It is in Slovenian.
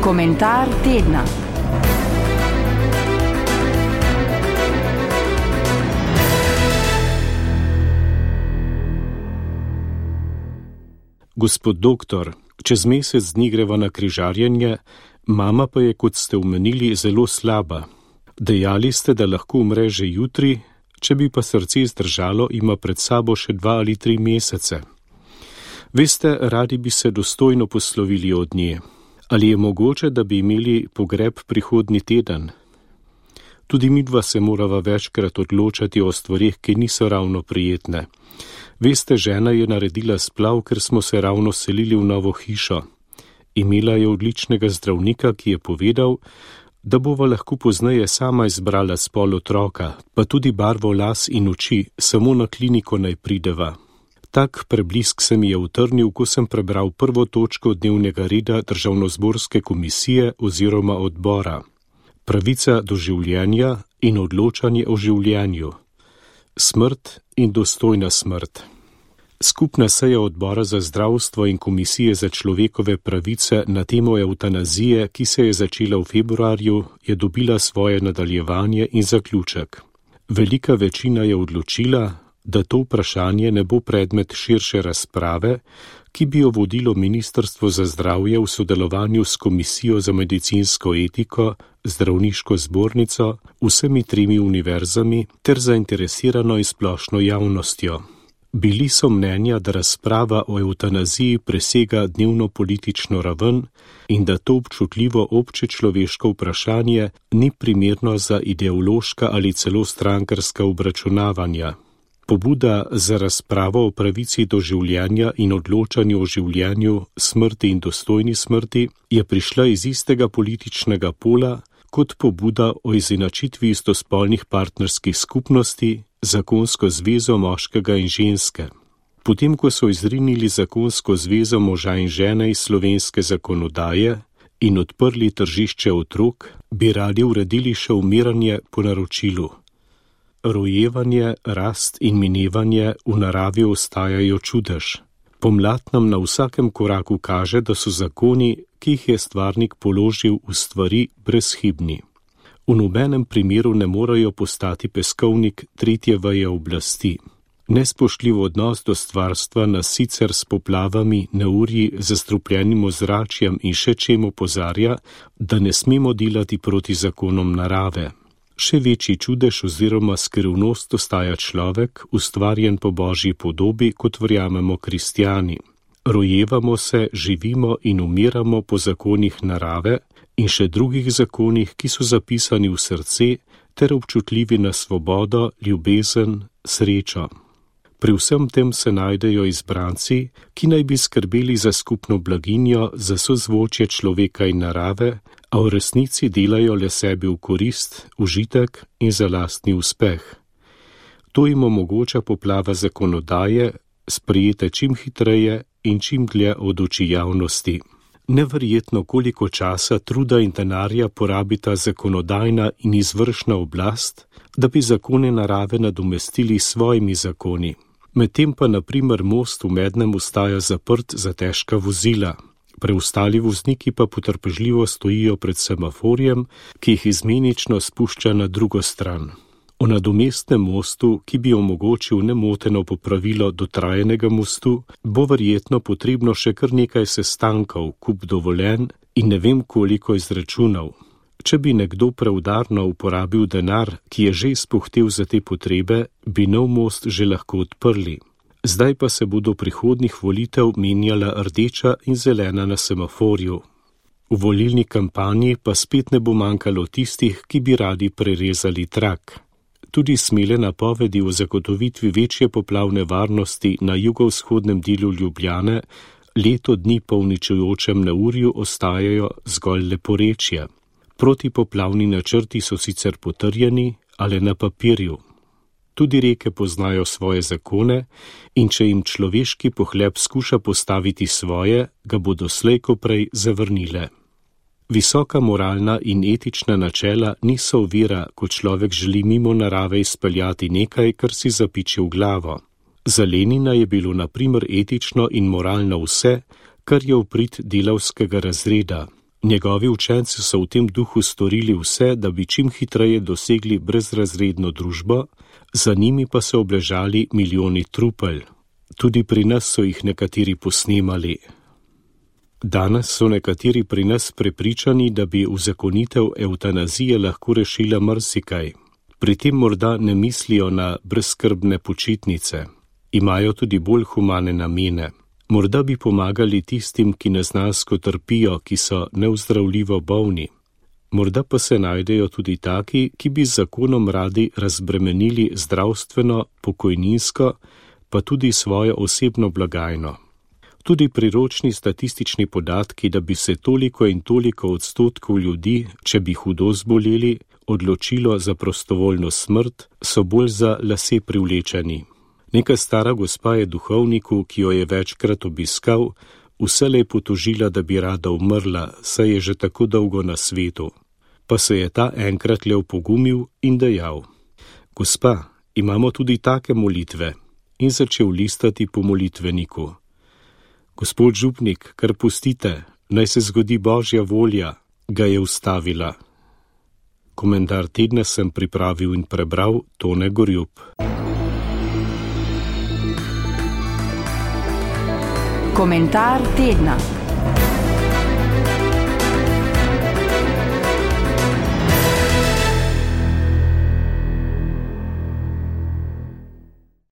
Komentar tedna. Gospod doktor, čez mesec dni greva na križarjenje, mama pa je, kot ste omenili, zelo slaba. Dejali ste, da lahko umre že jutri, če bi pa srce zdržalo, ima pred sabo še 2 ali 3 mesece. Veste, radi bi se dostojno poslovili od nje. Ali je mogoče, da bi imeli pogreb prihodnji teden? Tudi midva se morava večkrat odločati o stvarih, ki niso ravno prijetne. Veste, žena je naredila splav, ker smo se ravno selili v novo hišo. Imela je odličnega zdravnika, ki je povedal, da bova lahko pozneje sama izbrala spol otroka, pa tudi barvo las in oči, samo na kliniko naj prideva. Tak preblisk se mi je utrnil, ko sem prebral prvo točko dnevnega reda Državnozborske komisije oziroma odbora. Pravica do življenja in odločanje o življenju. Smrt in dostojna smrt. Skupna seja odbora za zdravstvo in komisije za človekove pravice na temo evtanazije, ki se je začela v februarju, je dobila svoje nadaljevanje in zaključek. Velika večina je odločila, da to vprašanje ne bo predmet širše razprave, ki bi jo vodilo Ministrstvo za zdravje v sodelovanju s Komisijo za medicinsko etiko, Zdravniško zbornico, vsemi 3 univerzami ter zainteresirano in splošno javnostjo. Bili so mnenja, da razprava o evtanaziji presega dnevno politično raven in da to občutljivo obče človeško vprašanje ni primerno za ideološka ali celo strankarska obračunavanja. Pobuda za razpravo o pravici do življenja in odločanju o življenju, smrti in dostojni smrti je prišla iz istega političnega pola kot pobuda o izenačitvi istospolnih partnerskih skupnosti, zakonsko zvezo moškega in ženske. Potem, ko so izrinili zakonsko zvezo moža in žene iz slovenske zakonodaje in odprli tržišče otrok, bi radi uredili še umiranje po naročilu. Rojevanje, rast in minevanje v naravi ostajajo čudež. Pomlad nam na vsakem koraku kaže, da so zakoni, ki jih je stvarnik položil v stvari, brezhibni. V nobenem primeru ne morejo postati peskovnik 3. veje oblasti. Nespoštljiv odnos do stvarstva nas sicer s poplavami, neurji, zastrupljenim ozračjem in še čem opozarja, da ne smemo delati proti zakonom narave. Še večji čudež oziroma skrivnost ostaja človek, ustvarjen po Božji podobi, kot verjamemo kristjani. Rojevamo se, živimo in umiramo po zakonih narave in še drugih zakonih, ki so zapisani v srce ter občutljivi na svobodo, ljubezen, srečo. Pri vsem tem se najdejo izbranci, ki naj bi skrbeli za skupno blaginjo, za sozvočje človeka in narave, a v resnici delajo le sebi v korist, užitek in za lastni uspeh. To jim omogoča poplava zakonodaje, sprejete čim hitreje in čim dlje od oči javnosti. Neverjetno, koliko časa, truda in denarja porabita zakonodajna in izvršna oblast, da bi zakone narave nadomestili s svojimi zakoni. Medtem pa na primer most v Mednem ostaja zaprt za težka vozila. Preostali vozniki pa potrpežljivo stojijo pred semaforjem, ki jih izmenično spušča na drugo stran. O nadomestnem mostu, ki bi omogočil nemoteno popravilo dotrajenega mostu, bo verjetno potrebno še kar nekaj sestankov, kup dovoljenj in ne vem koliko izračunov. Če bi nekdo preudarno uporabil denar, ki je že izpuhtel za te potrebe, bi nov most že lahko odprli. Zdaj pa se bodo prihodnjih volitev menjala rdeča in zelena na semaforju. V volilni kampanji pa spet ne bo manjkalo tistih, ki bi radi prerezali trak. Tudi smele napovedi o zagotovitvi večje poplavne varnosti na jugovzhodnem delu Ljubljane leto dni po uničujočem neurju ostajajo zgolj leporečje. Protipoplavni načrti so sicer potrjeni, ali na papirju. Tudi reke poznajo svoje zakone in če jim človeški pohlep skuša postaviti svoje, ga bodo slej ko prej zavrnile. Visoka moralna in etična načela niso ovira, ko človek želi mimo narave izpeljati nekaj, kar si zapiči v glavo. Za Lenina je bilo na primer etično in moralno vse, kar je v prid delavskega razreda. Njegovi učenci so v tem duhu storili vse, da bi čim hitreje dosegli brezrazredno družbo, za njimi pa so obležali milijoni trupel. Tudi pri nas so jih nekateri posnemali. Danes so nekateri pri nas prepričani, da bi uzakonitev evtanazije lahko rešila marsikaj. Pri tem morda ne mislijo na brezskrbne počitnice. Imajo tudi bolj humane namene. Morda bi pomagali tistim, ki neznansko trpijo, ki so neozdravljivo bolni. Morda pa se najdejo tudi taki, ki bi z zakonom radi razbremenili zdravstveno, pokojninsko, pa tudi svojo osebno blagajno. Tudi priročni statistični podatki, da bi se toliko in toliko odstotkov ljudi, če bi hudo zboleli, odločilo za prostovoljno smrt, so bolj za lase privlečeni. Neka stara gospa je duhovniku, ki jo je večkrat obiskal, vselej potožila, da bi rada umrla, saj je že tako dolgo na svetu. Pa se je ta enkrat le opogumil in dejal: Gospa, imamo tudi take molitve, in začel listati po molitveniku. Gospod župnik, kar pustite, naj se zgodi Božja volja, ga je ustavila. Komentar tedna sem pripravil in prebral Tone Gorjup. Komentar tedna.